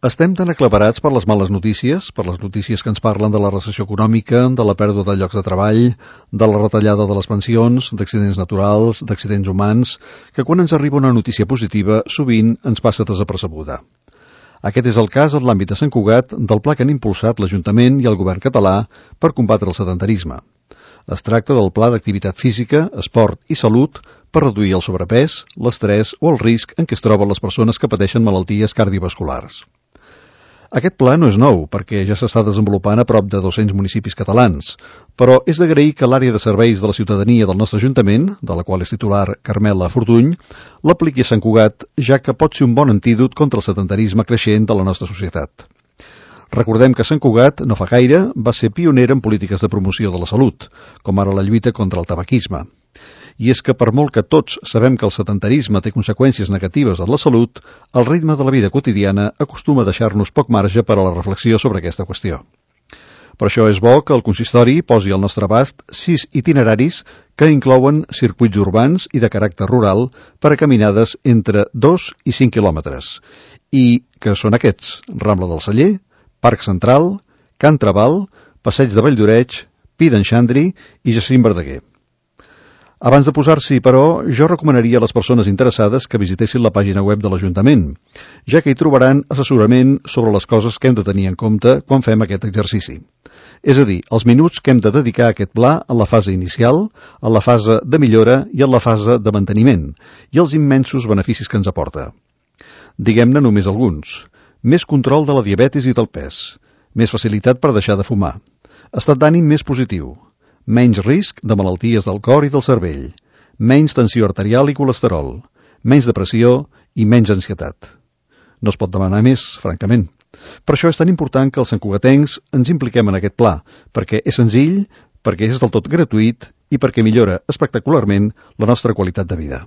Estem tan aclaparats per les males notícies, per les notícies que ens parlen de la recessió econòmica, de la pèrdua de llocs de treball, de la retallada de les pensions, d'accidents naturals, d'accidents humans, que quan ens arriba una notícia positiva sovint ens passa desapercebuda. Aquest és el cas en l'àmbit de Sant Cugat del pla que han impulsat l'Ajuntament i el govern català per combatre el sedentarisme. Es tracta del Pla d'Activitat Física, Esport i Salut per reduir el sobrepès, l'estrès o el risc en què es troben les persones que pateixen malalties cardiovasculars. Aquest pla no és nou, perquè ja s'està desenvolupant a prop de 200 municipis catalans, però és d'agrair que l'àrea de serveis de la ciutadania del nostre Ajuntament, de la qual és titular Carmela Fortuny, l'apliqui a Sant Cugat, ja que pot ser un bon antídot contra el sedentarisme creixent de la nostra societat. Recordem que Sant Cugat, no fa gaire, va ser pionera en polítiques de promoció de la salut, com ara la lluita contra el tabaquisme. I és que per molt que tots sabem que el sedentarisme té conseqüències negatives en la salut, el ritme de la vida quotidiana acostuma a deixar-nos poc marge per a la reflexió sobre aquesta qüestió. Per això és bo que el consistori posi al nostre abast 6 itineraris que inclouen circuits urbans i de caràcter rural per a caminades entre 2 i 5 quilòmetres, i que són aquests: Rambla del Celler, Parc Central, Can Trabal, Passeig de Valldoreix, Pi d'en Xandri i Jacint Verdaguer. Abans de posar-s'hi, però, jo recomanaria a les persones interessades que visitessin la pàgina web de l'Ajuntament, ja que hi trobaran assessorament sobre les coses que hem de tenir en compte quan fem aquest exercici. És a dir, els minuts que hem de dedicar a aquest pla en la fase inicial, en la fase de millora i en la fase de manteniment, i els immensos beneficis que ens aporta. Diguem-ne només alguns. Més control de la diabetis i del pes, més facilitat per deixar de fumar, estat d'ànim més positiu, menys risc de malalties del cor i del cervell, menys tensió arterial i colesterol, menys depressió i menys ansietat. No es pot demanar més, francament. Per això és tan important que els santcugatencs ens impliquem en aquest pla, perquè és senzill, perquè és del tot gratuït i perquè millora espectacularment la nostra qualitat de vida.